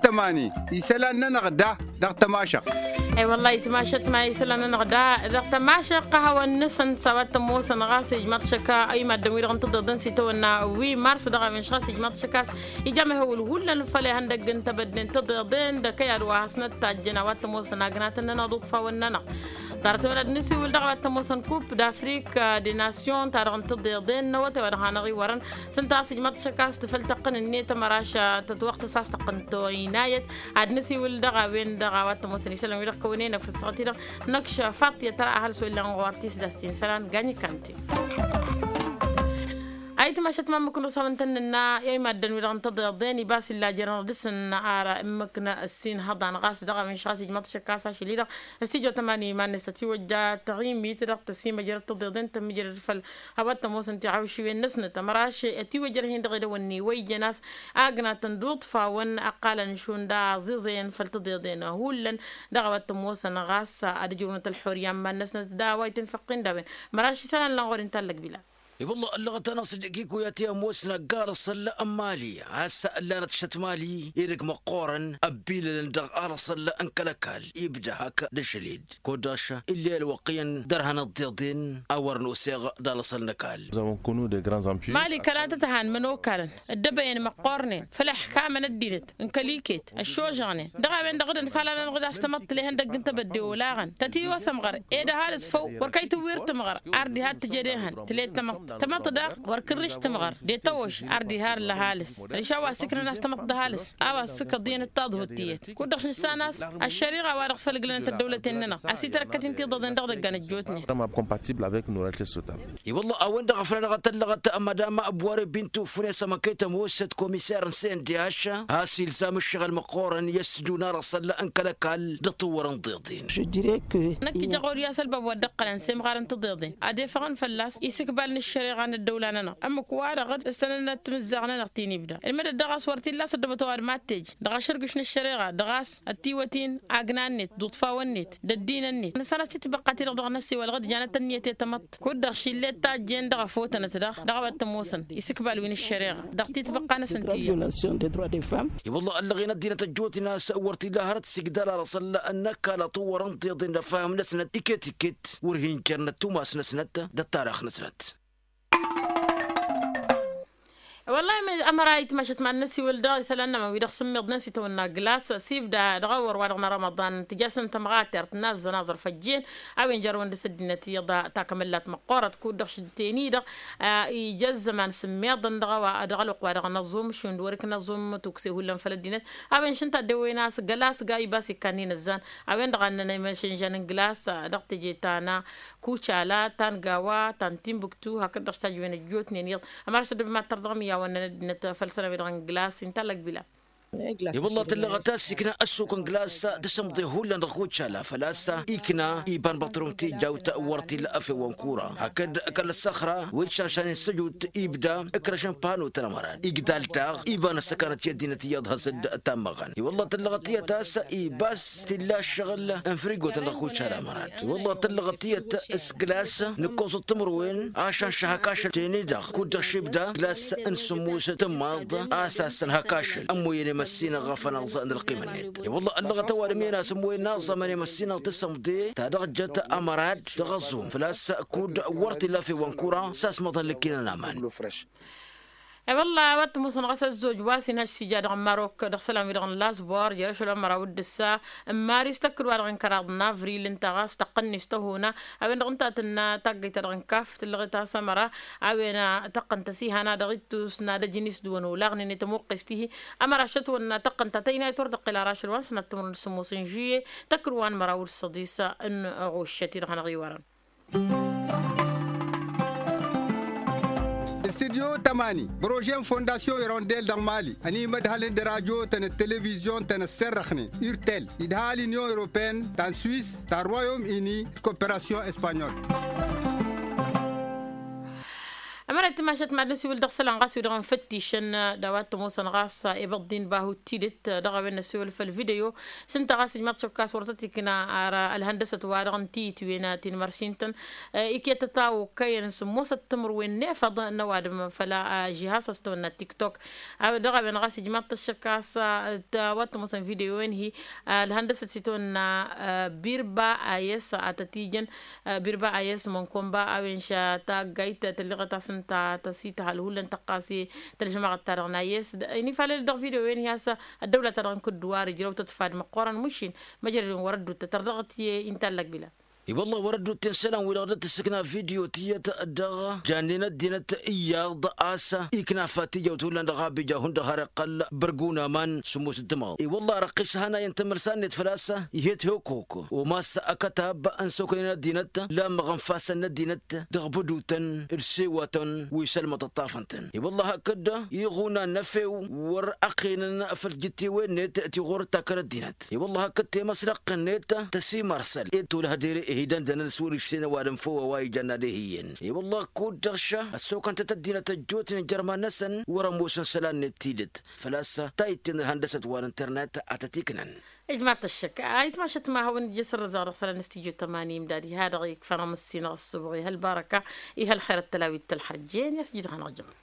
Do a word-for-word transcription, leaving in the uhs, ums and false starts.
Tămani isălan-nănăɣ da dăɣ-tămašăɣt. Ewălla itmašăt ma isălan-nănăɣ da dăɣ-tămašăɣt a hawăn-nǝsăn s-a-wa t-ămoosăn ɣas ijmaḍ šăkka i-maddǝn-wi-dăɣ n-tăḍeḍen s-itawănna wi mars dăɣ-a-wen šɣas ijmaḍ šăkka a-s ija mehăwǝl hullan făll-ihăndăgg n-tebădde n-tăḍeḍen d-ăkăyad wa hasnăt-tajjăn a-wa t-ămoosăn agnatăn-nănăɣ d-uḍfawăn-nănăɣ. Ḍarăt-wen ad-nǝsiwǝl dăɣ-a-wa t-ămoosăn kup d-afrik de nasyon-ta-dăɣ n-tăḍeḍen n-awătay wa dăɣ-hanăɣ-iwărăn s-ǝnta a-s ijmaḍ šăkka a-s tǝfăl tăqqǝn-net ămăraš tătwăɣtăs a-s tăqqǝn toynayăt. Ad-nǝsiwǝl dăɣ-a-wen-dăɣ a-wa t-ămoosăn isălan-wi-dăɣ kăwănen ăfăssăɣăt-i-dăɣ năkš faṭ i-ad-tăra ăhalǝs wa illan ɣur-tisdast-i n-isălan gany kanti. Ayǝtmašăt ma ǝmmǝk n-ăsawăn tăn-nǝnna i-maddăn-wi-dăɣ n-tăḍeḍen ibas illa jărăn dăr-săn ara ǝmmǝk n-ăssin hăḍan ɣas dăɣ-a-wen šɣas ijmăḍ šăkka a-s ašăl-i-dăɣ. Ăstijot ămani iman-net ătiwăjja taɣimit dăɣ-tăsimăjrăd tăḍeḍen tămmǝjrăd făll-a-wa t-ămoosăn tiɣawšiwen-năsnăt ămăraš ătiwăjrăd-hin dăɣ-edăwănni wa ijăn a-s agnatăn d-uḍfawăn ăqqalăn šund aẓiẓăyăn făll-tăḍeḍen hullan. Dăɣ-a-wa t-ămoosăn ɣas ad-ǝjrǝwnăt ălxurya n-iman-năsnăt d-a-wa itǝnfăqqin d-a-wen. Măraš isălan-nănăɣ wăren tallăg bila. I-wălla ăllăɣăt-anăɣ s-dd-kikuya ti ămoos năgg alăṣăl n-mali a-s ǝllanăt šăt mali edăgg măqqoorăn ăbbilălăn dăɣ-alăṣăl n-kăl-ăkall ibda hak d-ašăl-ed. Kud-dăɣ š-ill'-e ălwăqq iyyăn dăr-hanăt tiḍen a wăr noseɣ d-alăṣăl n-ăkall. Mali kăla tăt-han imănokalăn ăddăbăyăn măqqoornen făll-ăḥkamăn ăddinăt n-kăl-iket ăššožăɣnen dăɣ-a-wen-dăɣ dd-ănfalăn-anăɣ d-a-s tamăḍt tǝlehăn dăgg n-tebădde olaɣăn tătiwăsăm ɣăr ed ăhalǝs făw wăr kăy-tǝwwir tǝmɣăr. Ar diha t-tǝjed ehăn tǝled tamăḍt tamăḍt daɣ wăr kǝrrǝš tǝmɣăr de tăwăš ar diha ar ǝlla ăhalǝs. Ălša a-wa s-iknăn a-s tamăḍt d-ăhalǝs a-wa s-sǝkăḍ iyyăn d-taḍhut tiyyăt kud-dăɣ š-nǝssan a-s ăššăriɣa wa dăɣ-s făll-ǝglănăt ăddăwlăten-nănăɣ ăsitărkăt-in tiḍăḍen dăɣ-idăggan ăjjootnen. I-wălla a-wen-dăɣ a făl anăɣ-tăllăɣăt madam buware bintu fune s-amăkăy tămoosăt komiser n-sendh a-s ilzam ǝššăɣǝl măqqoorăn i-ăsdun alăṣăl n-kăl-ăkall d-ăṭṭǝwwăr n-tiḍen. Năkk ija ɣur-i a-s ălbab wa dd-ǝqqălăn s-emɣar n-tiḍeḍen ad-efăɣăn fălla-s isǝkbal n-ăššăreɣa n-ăddăwla-nănăɣ ǝmmǝk-wa-dăɣ d-ǝstănănăt timǝzzaɣ-nănăɣ ti n-ibda ǝlmădăt daɣ a-s wăr t-illa a-s ăddăbăt ăwadǝm ad-t-ej dăɣ-ašărgǝš n-ăššăreɣa dăɣ-a-s ătiwăt-in agna-net d-uḍfawăn-net d-ăddinăn-net nǝssan a-s titbăqqa-ti-dăɣ dăɣ-năssiwălăɣ d-janăt ănniyăt i-tamăḍt kud-dăɣ šillet tajjen dăɣ-efotănăt daɣ dăɣ-a-wa t-ămoosăn isǝkbal wi n-ăššăreɣa dăɣ-titbăqqa-năsăn ti-ija. I-wălla ăllăɣen ăddinăt ăjjootnen a-s wăr t-illa hărăt s-igdal alăṣăl n-ăkall ăṭṭǝwwăr n-tiḍen d-ăfham-năsnăt iket-iket wăr hin-jărnăt tumas-năsnăt d-ăttarix-năsnăt. Wăllah ămăra itmašăt ma n-năsiwǝl dăɣ-isălan-nămăn wi-dăɣ sǝmmiḍnen s-itawănna glas s-ibda dăɣ-awăr wa dăɣ-n rămăḍan tǝjasăn tămɣatert n-aẓẓăn aẓrǝf ăjjeen a-wen jărrăwăn dăɣ-s ăddinăt iyyăḍ. Takămăllat măqqoorăt kud-dăɣ šǝdden-i-dăɣ ija ăzzăman sǝmmiḍăn dăɣ-a-wa dăɣ-ălwăqq wa dăɣ-năẓum šund wăr-iknăẓum tukse hullan făll-ăddinăt. A-wen šăn taddewen a-s gălas ga ibas ikkannin ăzzan a-wen-dăɣ a ǝnnăn imăšănžan n-glas dăɣ-teje ta n-kucala ta n-gawa ta n-timbuktu hakd-dăɣ s-tajǝwen ăjjootnen iyyăḍ. Ămăraš tăddăbem ad-tărdăɣăm i-a-wa ǝnnăn ăddinăt făll-sănăwed dăɣ-n glas inta ăllăg bila. I-wălla tǝllăɣăt a-s ikna ăssuk n-glas d-asǝmḍe hullan dăɣ-kucala făl-a-s ikna iba n-băṭrun tijawt wăr t-illa efew wa n-kura hakd kăl-ăssăxra wi d-šašan n-săjut ibda ǝkrăš n-panu-tăn ămăran igdal daɣ iba n-ăssăkanăt i-ăddinăt iyyăḍ has-dd-tammăɣăn. I-wălla tǝllăɣăt tiyyăt a-s ibas tilla ǝššăɣǝl n-frigo-tăn dăɣ-kucala ămăran. I-wălla tǝllăɣăt tiyyăt s-glas nǝkkoẓăt timǝrwen ašăn šăhăk ašăl teni-dăɣ kud-dăɣ šibda glas n-sǝmmus tǝmmaḍ a-s a-s ănhăk ašăl ămmoyăn i-măssinăɣ ɣăfăn aẓ n-ălqimăn-net. I-wălla ăllăɣăt ăwadǝm iyyăn a-s ămmoyăn aẓămăn i-măssinăɣ tǝsǝmḍe ta dăɣ-jăt ămărad dăɣ-ăẓum făl-a-s kud wăr t-illa few wa n-kura s-asmăḍăn lăkkinăn aman. I-wălla a-wa t-ămoosăn ɣas ăzzoj wa s-inhăj s-ija dăɣ-marok dăɣ-isălan-wi-dăɣ n-lasbor jer-ašăl wa n-măraw d-ǝssa n-maris tăkk-dd wa-dăɣ n-kăraḍ n-avril ǝnta ɣas tăqqăn-net tăhuna. A-wen-dăɣ ǝnta a tǝnna taggăyt-ta-dăɣ n-kaf tǝllăɣet a-s ămăra a-wen tăqqăn-t ăsihana dăɣ-ittus n-ad-ăjnǝs d-wăn olaɣnen i-tămuqqes tihi. Ămăra ašăt wănna tăqqăn-ta tăynayăt wăr tăqqel ara ašăl wa n-sănat timǝrwen d-sǝmmos n-žuye tăkk-dd wa n-măraw d-săḍis n-ɣuššăt-i-dăɣ hanăɣ-iwărăn. Studyo tămani bărože n-fondasyon irondel dăɣ-mali ănimădhălăn d-radyo-tăn d-televizyon-tăn ăsserrăxnen urtel idha l-inyon europene ta n-swis ta n-royom ini d-koperasyon espanyol. Ăra ătmašăt mad-năsiwǝl dăɣ-isălan ɣas wi-dăɣ n-făttišăn d-a-wa t-ămoosăn ɣas ibăḍḍin bahu d-tidǝt. Dăɣ-a-wen năsiwǝl făll-video s-ǝnta ɣas ijmaḍ-t šăkkas wăr tăt-ikna. Ar ălhăndăsăt-wa-dăɣ n-tiyǝtwen ti n-mărsin-tăn ikyăt ătawăkkăyăn s-ămoosăt timǝrwen n-efăḍ n-ăwadǝm făll-ažihas a-s tăwănna tiktok. Dăɣ-a-wen ɣas ijmaḍ-t ăššăkkas. Wa t-ămoosăn video-en-hi ălhăndăsăt s-itwănna birba a yes a tăt-ijăn. Birba a yes mănkomba a-wen ša taggayt tălleɣăt a-s ǝnta tăsităhăl hullan tăqqas i-tălžămaɣăt-ta-dăɣ n-a yes. Inifalăl-dd dăɣ-video-en-hi a-s ăddăwla-ta-dăɣ n-kǝdduwar ijrăw-tăt fad măqqoran mušin. Măjrăd-in wăr-ăddut tătărdăɣăt i-inta allăgbila. I-wălla wăr-ăddut-ten isălan-wi-dăɣ dd-tǝssǝkna video tiyyăt dăɣ-jannen ăddinăt iyyăḍ a-s ikna fatijăwt hullan dăɣ-abija hundăɣ har iqqăl bărgun aman s-ămoos d-timaḍ i-wălla răqqis hanayăn tamălsa-net făl-a-s. Ihet hokok omas ăkătab n-soknen ăddinăt lamăɣ n-fasăn n-ăddinăt dăɣ-bădutăn d-sewatăn wi s-ălmăḍ ăṭṭafăn-tăn i-wălla hakd iɣunan n-efew wăr-ăqqenăn făll-tijǝttewen-net ti ɣur-ǝttakăn ăddinăt. I-wălla hakd temăslăqqen-net tăsimarsăl ed tolăh dere ih'-idăndănăn s-wăr-išten ăwadǝm făw a-wa ijanna d-ehiyyen. I-wălla kud-dăɣ ša ăssokăn-tăt ăddinăt ăjjootnen jărman-năsăn wăr-ămoosăn isălan-net tidǝt făl-a-s tayǝtten ălhăndăsăt wa n-internet a tăt-iknan. Ijmaḍ-t ăššăk a itmašăt ma hawăn-ija s-ărrăzaɣ dăɣ-isălan n-stujo tămanim d-ad-iha-dăɣ ikfăn amǝssin ɣas s-subɣ i-hălbarăka. I-hălxer ăttălawit tălxărjen i-a-s jidăɣ hanăɣ-jămăn.